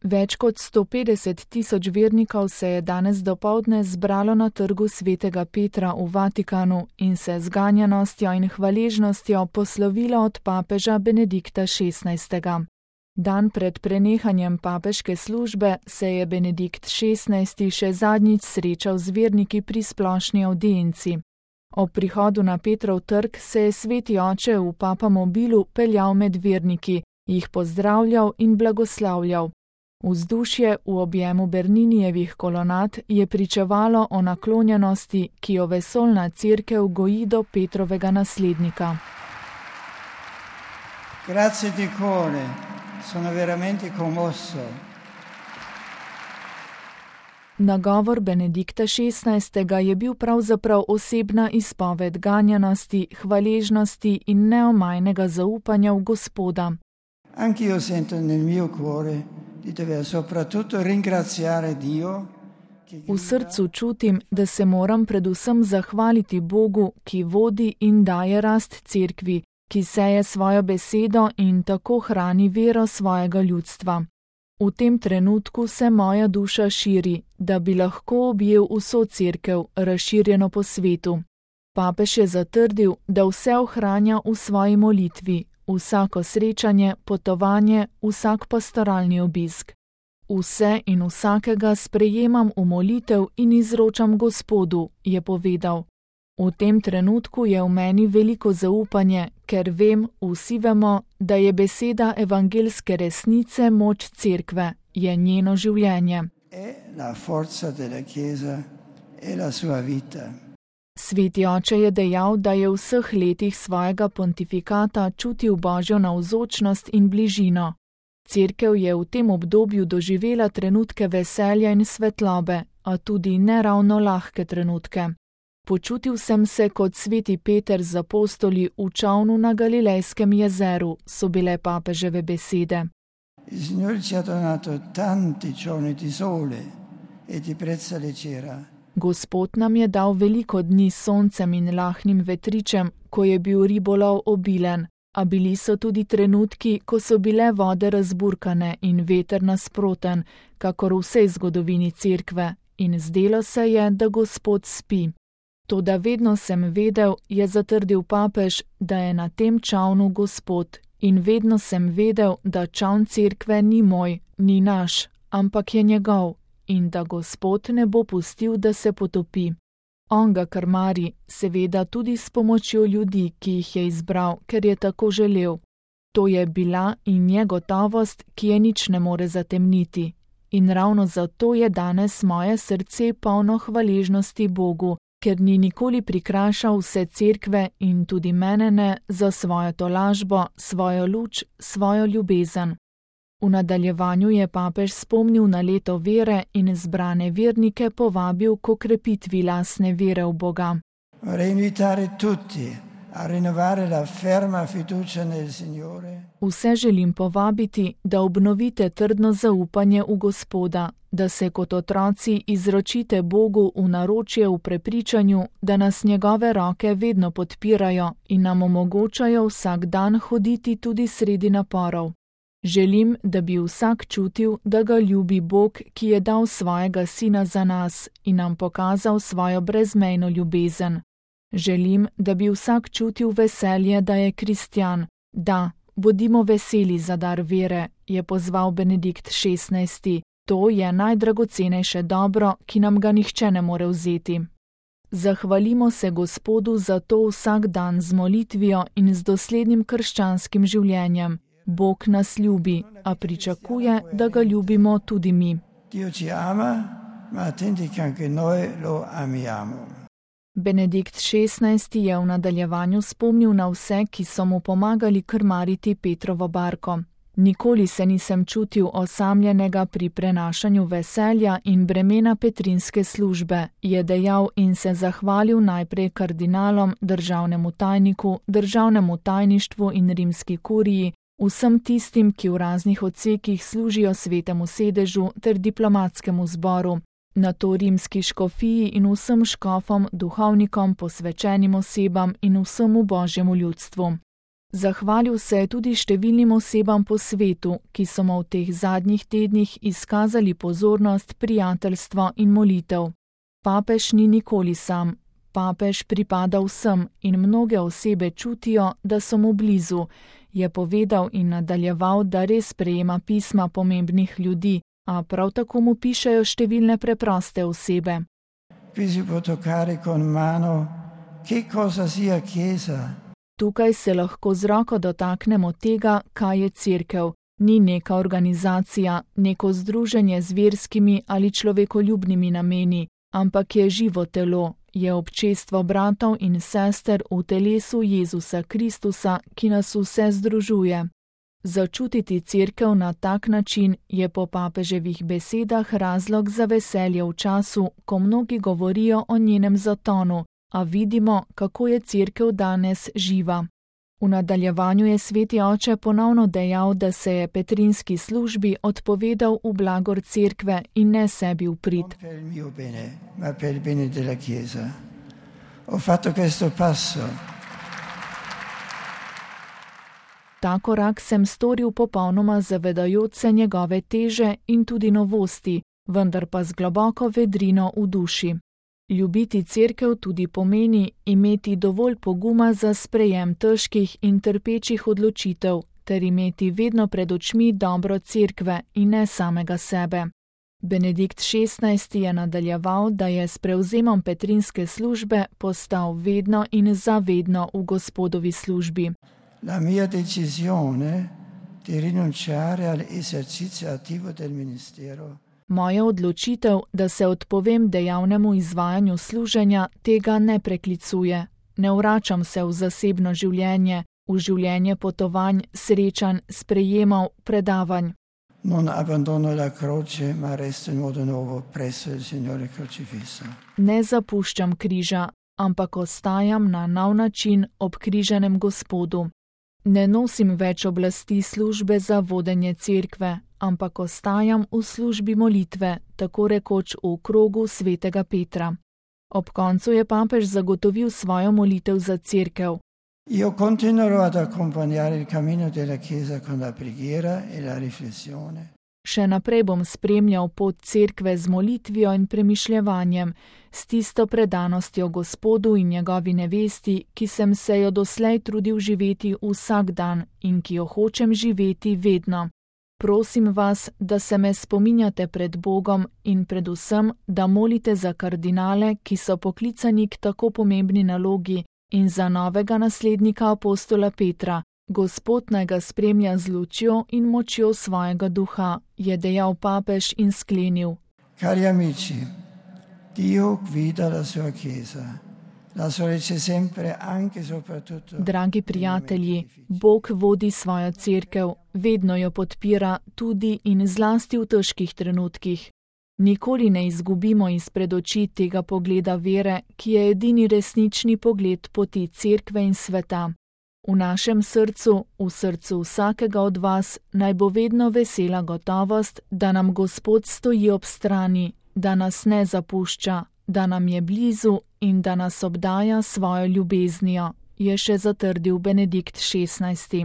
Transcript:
Več kot 150 tisoč vernikov se je danes dopoldne zbralo na trgu svetega Petra v Vatikanu in se z ganjenostjo in hvaležnostjo poslovilo od papeža Benedikta XVI. Dan pred prenehanjem papeške službe se je Benedikt XVI. Še zadnjič srečal z verniki pri splošni avdienci. Ob prihodu na Petrov trg se je sveti oče v papamobilu peljal med verniki, jih pozdravljal in blagoslavljal. Vzdušje v objemu Berninijevih kolonad je pričevalo o naklonjenosti, ki jo vesoljna cerkev goji do Petrovega naslednika. Grazie di cuore, sono veramente commosso. Nagovor Benedikta XVI. Je bil pravzaprav osebna izpoved ganjenosti, hvaležnosti in neomajnega zaupanja v Gospoda. Anch'io sento nel mio cuore di dover soprattutto ringraziare Dio. V srcu čutim, da se moram predvsem zahvaliti Bogu, ki vodi in daje rast cerkvi, ki seje svojo besedo in tako hrani vero svojega ljudstva. V tem trenutku se moja duša širi, da bi lahko objel vso cerkev, razširjeno po svetu. Papež je zatrdil, da vse ohranja v svoji molitvi, vsako srečanje, potovanje, vsak pastoralni obisk. Vse in vsakega sprejemam v molitev in izročam Gospodu, je povedal. V tem trenutku je v meni veliko zaupanje, ker vem, vsi vemo, da je beseda evangelske resnice moč cerkve, je njeno življenje. Sveti oče je dejal, da je v vseh letih svojega pontifikata čutil Božjo navzočnost in bližino. Cerkev je v tem obdobju doživela trenutke veselja in svetlobe, a tudi neravno lahke trenutke. Počutil sem se kot sveti Peter z apostoli v čolnu na Galilejskem jezeru, so bile papeževe besede. Gospod nam je dal veliko dni s soncem in lahnim vetričem, ko je bil ribolov obilen, a bili so tudi trenutki, ko so bile vode razburkane in veter nasproten, kakor v vsej zgodovini cerkve, in zdelo se je, da Gospod spi. Toda vedno sem vedel, je zatrdil papež, da je na tem čolnu Gospod, in vedno sem vedel, da čoln cerkve ni moj, ni naš, ampak je njegov, in da Gospod ne bo pustil, da se potopi. On ga krmari, seveda tudi s pomočjo ljudi, ki jih je izbral, ker je tako želel. To je bila in je gotovost, ki je nič ne more zatemniti. In ravno zato je danes moje srce polno hvaležnosti Bogu, ker ni nikoli prikrašal vse cerkve in tudi mene ne za svojo tolažbo, svojo luč, svojo ljubezen. V nadaljevanju je papež spomnil na leto vere in zbrane vernike povabil k okrepitvi lastne vere v Boga. Vse želim povabiti, da obnovite trdno zaupanje v Gospoda, da se kot otroci izročite Bogu v naročje v prepričanju, da nas njegove roke vedno podpirajo in nam omogočajo vsak dan hoditi tudi sredi naporov. Želim, da bi vsak čutil, da ga ljubi Bog, ki je dal svojega sina za nas in nam pokazal svojo brezmejno ljubezen. Želim, da bi vsak čutil veselje, da je kristjan. Da, bodimo veseli za dar vere, je pozval Benedikt XVI. To je najdragocenejše dobro, ki nam ga nihče ne more vzeti. Zahvalimo se Gospodu za to vsak dan z molitvijo in z doslednim krščanskim življenjem. Bog nas ljubi, a pričakuje, da ga ljubimo tudi mi. Benedikt XVI. Je v nadaljevanju spomnil na vse, ki so mu pomagali krmariti Petrovo barko. Nikoli se nisem čutil osamljenega pri prenašanju veselja in bremena petrinske službe, je dejal in se zahvalil najprej kardinalom, državnemu tajniku, državnemu tajništvu in rimski kuriji, vsem tistim, ki v raznih odsekih služijo svetemu sedežu ter diplomatskemu zboru, nato rimski škofiji in vsem škofom, duhovnikom, posvečenim osebam in vsemu božjemu ljudstvu. Zahvalil se je tudi številnim osebam po svetu, ki so mu v teh zadnjih tednih izkazali pozornost, prijateljstvo in molitev. Papež ni nikoli sam. Papež pripada vsem in mnoge osebe čutijo, da so mu blizu, je povedal in nadaljeval, da res prejema pisma pomembnih ljudi, a prav tako mu pišejo številne preproste osebe. Tukaj se lahko z roko dotaknemo tega, kaj je cerkev. Ni neka organizacija, neko združenje z verskimi ali človekoljubnimi nameni, ampak je živo telo, je občestvo bratov in sester v telesu Jezusa Kristusa, ki nas vse združuje. Začutiti cerkev na tak način je po papeževih besedah razlog za veselje v času, ko mnogi govorijo o njenem zatonu, a vidimo, kako je cerkev danes živa. V nadaljevanju je sveti oče ponovno dejal, da se je petrinski službi odpovedal v blagor cerkve in ne sebi v prid. Ta korak sem storil popolnoma zavedajoč se njegove teže in tudi novosti, vendar pa z globoko vedrino v duši. Ljubiti cerkev tudi pomeni imeti dovolj poguma za sprejem težkih in trpečih odločitev, ter imeti vedno pred očmi dobro cerkve in ne samega sebe. Benedikt XVI je nadaljeval, da je s prevzemom petrinske službe postal vedno in zavedno v Gospodovi službi. La mia decisione di rinunciare all'esercizio attivo del ministero. Moja odločitev, da se odpovem dejavnemu izvajanju služenja, tega ne preklicuje. Ne vračam se v zasebno življenje, v življenje potovanj, srečanj, sprejemov, predavanj. Non abbandono la croce, ma resto in modo nuovo presso il Signore crocifisso. Ne zapuščam križa, ampak ostajam na nov način ob križanem Gospodu. Ne nosim več oblasti službe za vodenje cerkve, ampak ostajam v službi molitve, tako rekoč v krogu svetega Petra. Ob koncu je papež zagotovil svojo molitev za cerkev. Io continuerò ad accompagnare il cammino della Chiesa con la preghiera e la riflessione. Še naprej bom spremljal pot cerkve z molitvijo in premišljevanjem, s tisto predanostjo Gospodu in njegovi nevesti, ki sem se jo doslej trudil živeti vsak dan in ki jo hočem živeti vedno. Prosim vas, da se me spominjate pred Bogom in predvsem, da molite za kardinale, ki so poklicani k tako pomembni nalogi, in za novega naslednika apostola Petra. Gospod naj ga spremlja z lučjo in močjo svojega duha, je dejal papež in sklenil. Cari amici, Dio guida la sua Chiesa. La sorece sempre anche soprattutto. Dragi prijatelji, Bog vodi svojo cerkev, vedno jo podpira tudi in zlasti v težkih trenutkih. Nikoli ne izgubimo izpred oči tega pogleda vere, ki je edini resnični pogled poti cerkve in sveta. V našem srcu, v srcu vsakega od vas, naj bo vedno vesela gotovost, da nam Gospod stoji ob strani, da nas ne zapušča, da nam je blizu in da nas obdaja svojo ljubeznijo, je še zatrdil Benedikt XVI.